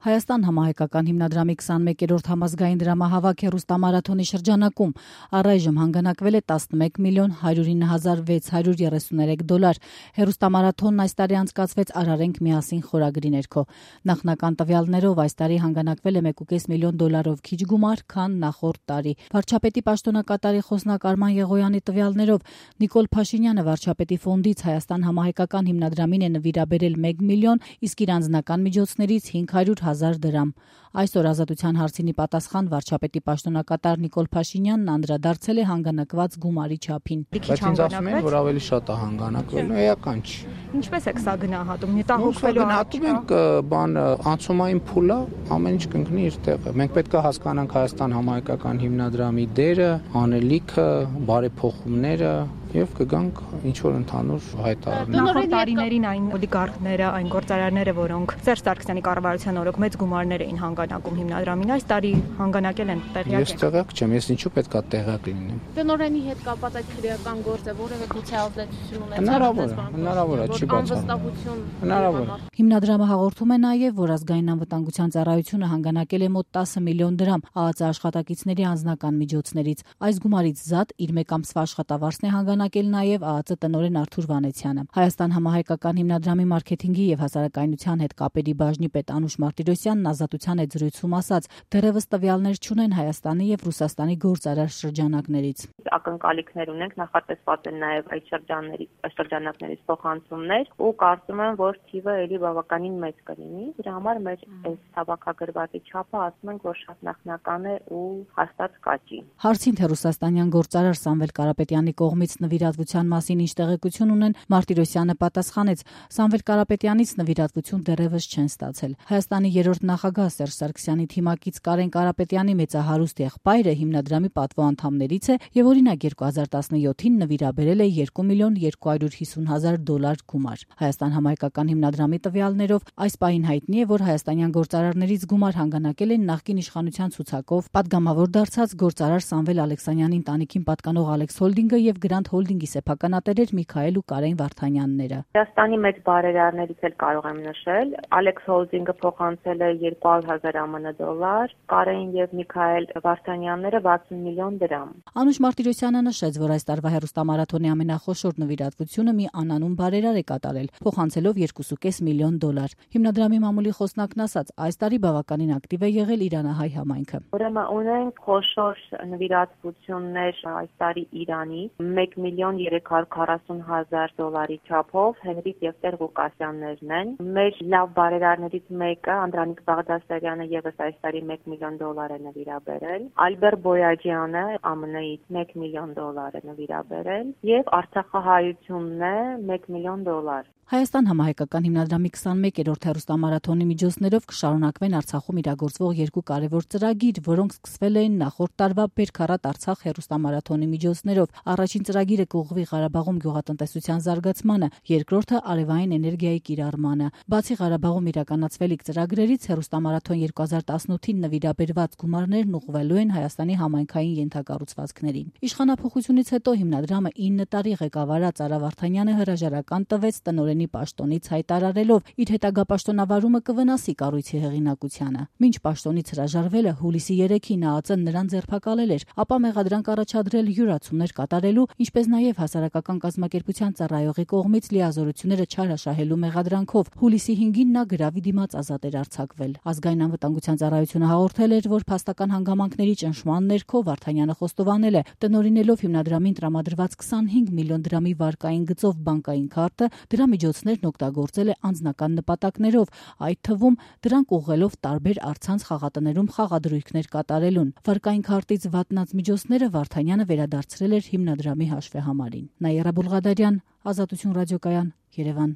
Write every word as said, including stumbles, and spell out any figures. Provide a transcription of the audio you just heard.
Հայաստան համահայկական հիմնադրամի քսանմեկերորդ համազգային դրամահավաք հեռուստամարաթոնի շրջանակում առայժմ հանգանակվել է տասնմեկ միլիոն հարյուր ինը հազար վեց հարյուր երեսուներեք դոլար։ Հեռուստամարաթոնն այս տարի անցկացվեց «Արարենք միասին» խորագրի ներքո։ Նախնական տվյալներով այս տարի հանգանակվել է մեկ ու կես միլիոն դոլարով քիչ գումար, քան նախորդ տարի։ Վարչապետի պաշտոնակատարի խոսնակ Արման Եղոյանի տվյալներով Նիկոլ Փաշինյանը վարչապետի ֆոնդից Հայաստան համահայկական հիմնադրամին է նվիրաբերել մեկ միլիոն, իսկ իր անձնական միջոցներից հինգ հարյուր հազար դրամ։ Այսօր Ազատության հարցինի պատասխան վարչապետի պաշտոնակատար Նիկոլ Փաշինյանն անդրադարձել է հանգանակված գումարի չափին։ Բայց ինձ ասում են, որ ավելի շատ է հանգանակվել, էական չի։ Ինչպես եք սա գնահատում։ Մտահոգվելու գնահատում ենք բան անցումային փուլ է, ամեն ինչ կընկնի իր տեղը։ Մենք պետք է հասկանանք Հայաստան համահայկական հիմնադրամի դերը, անելիքը, բարեփոխումները եւ կգանք ինչ որ ընդհանուր հայտարարներ։ Նախորդ տարիներին այն օլիգարխները, այն գործարարները, որոնք Սերժ Սարգսյանի կառավարության օրոք մեծ գումարներ էին հանգանակում հիմնադրամին, այս տարի հանգանակել են տեղյակ։ Ես տեղյակ չեմ, ես ինչու պետք է տեղյակ լինեմ։ Տնօրենի հետ կապված այդ քրեական գործը որևէ գուցե ազդեցություն ունեցավ։ Հնարավոր է, հնարավոր է, չի բացառվում։ Հնարավոր է։ Հիմնադրամը հաղորդում է նաև, որ ազգային անվտանգության ծառայությունը հանգանակել է մոտ տասը միլիոն դրամ ԱԱԾ աշխատակիցների անձնական միջոցներից։ Այս գումարից զատ իր մեկ ամսվա աշխատավարձն է հանգանակել նաև ԱԱԾ տնօրեն Արթուր Վանեցյանը։ Հայաստան համահայկական հիմնադրամի մարքեթինգի եւ հասարակայնության հետ կապերի բաժնի պետ Անուշ Մարտիրոսյանն Ազատության հետ զրույցում ասաց, դեռևս տվյալներ չունեն Հայաստանի եւ Ռուսաստանի գործարար շրջանակներից։ Ակնկալիքներ ունենք, նախատեսված են նաև այդ շրջանների շրջանակներից փոխանցումներ ու կարծում եմ, որ թիվը էլի բավականին մեծ կլինի։ Դրա համար մեր այս հավաքագրվածի չափը ասում ենք, որ շատ նախնական է ու հաստատ կաճի։ Հարցին թե ռուսաստանյան գործարար Սամվել Կարապետյանի կողմից նվիրատվության մասին ինչ տեղեկություն ունեն, Մարտիրոսյանը պատասխանեց. Սամվել Կարապետյանից նվիրատվություն դեռևս չեն ստացել։ Հայաստանի երրորդ նախագահ Սերժ Սարգսյանի թիմակից Կարեն Կարապետյանի մեծահարուստ եղբայրը հիմնադրամի պատվո անդամներից է եւ օրինակ երկու հազար տասնյոթին նվիրաբերել է երկու միլիոն երկու հարյուր հիսուն հազար դոլար գումար։ Հայաստան համահայկական հիմնադրամի տվյալներով այս պահին հայտնի է, որ հայաստանյան գործարարներից գումար հանգանակել են նախկին իշխանության ցուցակով պատգամավոր դարձած գործարար Սամվել Ալեքսանյանի ընտանիքին պատկանող Ալեքս Հոլդինգը եւ Գրանդ Հոլդինգի սեփականատերեր Միքայել ու Կարեն Վարդանյանները։ Հայաստանի մեծ բարերարներից էլ կարող եմ նշել, Ալեքս Հոլդինգը փոխանցել է երկու հարյուր հազար ԱՄՆ դոլար, Կարեն եւ Միքայել Վարդանյանները վաթսուն միլիոն դրամ։ Անուշ Մարտիրոսյանը նշեց, որ այս տարվա հեռուստամարաթոնի ամենախոշոր նվիրատվությունը մի անանուն բարերար է կատարել, փոխանցելով երկու ու կես միլիոն դոլար։ Հիմնադրամի մամուլի խոսնակն ասաց, այս տարի բավականին ակտիվ է եղել իրանահայ համայնքը։ Ուրեմն ունենք խոշոր նվիրատվություններ այս տարի Իրանի մեկ միլիոն երեք հարյուր քառասուն հազար դոլարի չափով Հենրիկ եւ Տեր Ղուկասյաններն են։ Մեր լավ բարերարներից մեկը Անդրանիկ Բաղդասարյանը եւս այս տարի մեկ միլիոն դոլար է նվիրաբերել, Ալբեր Բոյաջյանը ԱՄՆ-ից մեկ միլիոն դոլար է նվիրաբերել եւ Արցախահայությունն է մեկ միլիոն դոլար։ Հայաստան համահայկական հիմնադրամի քսանմեկերորդ հեռուստամարաթոնի միջոցներով կշարունակվեն Արցախում իրագործվող երկու կարևոր ծրագիր, որոնք սկսվել էին նախորդ տարվա Բերքարատ Արցախ հեռուստամարաթոնի միջոցներով։ Առաջին ծրագիրը կուղղվի Ղարաբաղում գյուղատնտեսության զարգացմանը, երկրորդը արևային էներգիայի կիրառմանը։ Բացի Ղարաբաղում իրականացվելիք ծրագրերից հեռուստամարաթոն երկու հազար տասնութին նվիրաբերված գումարներն ուղղվելու են Հայաստանի համայնքային ենթակառուցվածքներին։ Իշխանափոխությունից հետո հիմնադրամը ինը տարի ղեկավարած Արա Վարդանյանը հրաժարական տվեց տնօրենի պաշտոնից հայտարարելով իր հետագա պաշտոնավարումը կվնասի կառույցի հեղինակությանը։ Մինչ պաշտոնից հրաժարվելը հուլիսի երեքին ԱԱԾ-ն նրան ձերբակալել էր, ապա մեղադրանք առաջադրել յուրացումներ կատարելու, ինչպես նաև հասարակական կազմակերպության ծառայողի կողմից լիազորությունները չարաշահելու մեղադրանքով հուլիսի հինգին նա գրավի դիմաց ազատ էր արձակվել։ Ազգային անվտանգության ծառայությունը հաղորդել էր, որ փաստական հանգամանքների ճնշման ներքո Վարդանյանը խոստովանել է, տնօրինելով հիմնադրամին տրամադրված քսանհինգ միլիոն դրամի վարկային գծով բանկային քարտը, դրա միջոցներն օգտագործել է անձնական նպատակներով, այդ թվում դրանք ուղղելով տարբեր առցանց խաղատներում խաղադրույքներ կատարելուն։ Վարկային քարտից վատնած միջոցները Վարդանյանը վերադարձրել էր հիմնադրամի հաշվեհամարին։ Նաիրա Բուլղադարյան, Ազատություն ռադիոկայան, Երևան։